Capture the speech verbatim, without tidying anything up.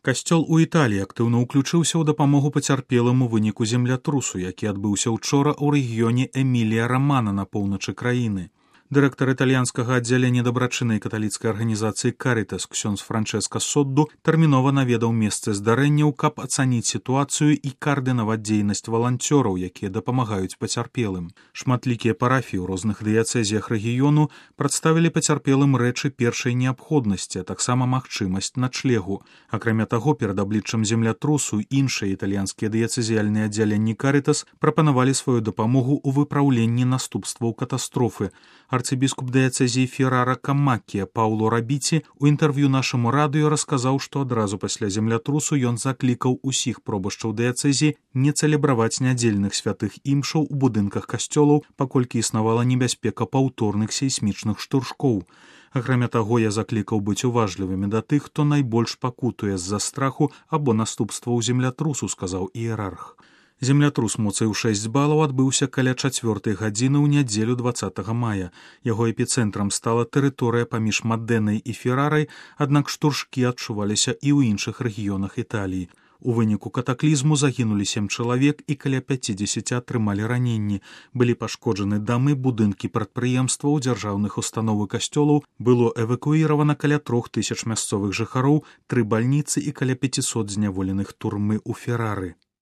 Касцёл у Італіі актыўна ўключыўся ў дапамогу пацярпелым у выніку землятрусу, які адбыўся ўчора ў рэгіёне Эмілія-Рамана на поўначы краіны. Дырэктар італьянскага аддзялення дабрачыннай каталіцкай арганізацыі «Карытас» ксёндз Франчэска Содду тэрмінова наведаў месцы здарэнняў, каб ацаніць сітуацыю і каардынаваць дзейнасць валанцёраў, якія дапамагаюць пацярпелым. Шматлікія парафіі ў розных дыяцэзіях рэгіёну прадставілі пацярпелым рэчы першай неабходнасці, а таксама магчымасць начлегу. Акрамя таго, перад абліччам землятрусу іншыя італьянскія дыяцэзіяльныя аддзяленні «Карытас» прапанавалі сваю дапамогу ў выпраўленні наступстваў катастрофы. Арцыбіскуп дыяцэзіі Феррара Камаккія Пауло Рабіці у інтэрв'ю нашаму радыё расказаў, што адразу пасля землятрусу ён заклікаў усіх пробашчаў дыяцэзіі не цэлебраваць нядзельных святых імшаў у будынках касцёлаў, паколькі існавала небяспека паўторных сейсмічных штуршкоў. Акрамя таго, я заклікаў быць уважлівымі да тых, хто найбольш пакутуе з-за страху або наступстваў землятрусу, сказаў іерарх. Землятрус моцай у шэсць балаў адбыўся каля чацвёртай гадзіны ў нядзелю дваццатага мая. Яго эпіцэнтрам стала тэрыторыя паміж Мадэнай і Феррарай, аднак штуршкі адчуваліся і ў іншых рэгіёнах Італіі. У выніку катаклізму загінулі сем чалавек і каля пяцідзесяці атрымалі раненні. Былі пашкоджаны дамы, будынкі прадпрыемстваў, дзяржаўных устаноў і касцёлаў, было эвакуіравана каля трох тысяч мясцовых жыхароў, тры бальніцы і каля пяцісот зняволеных турмы ў Феррары.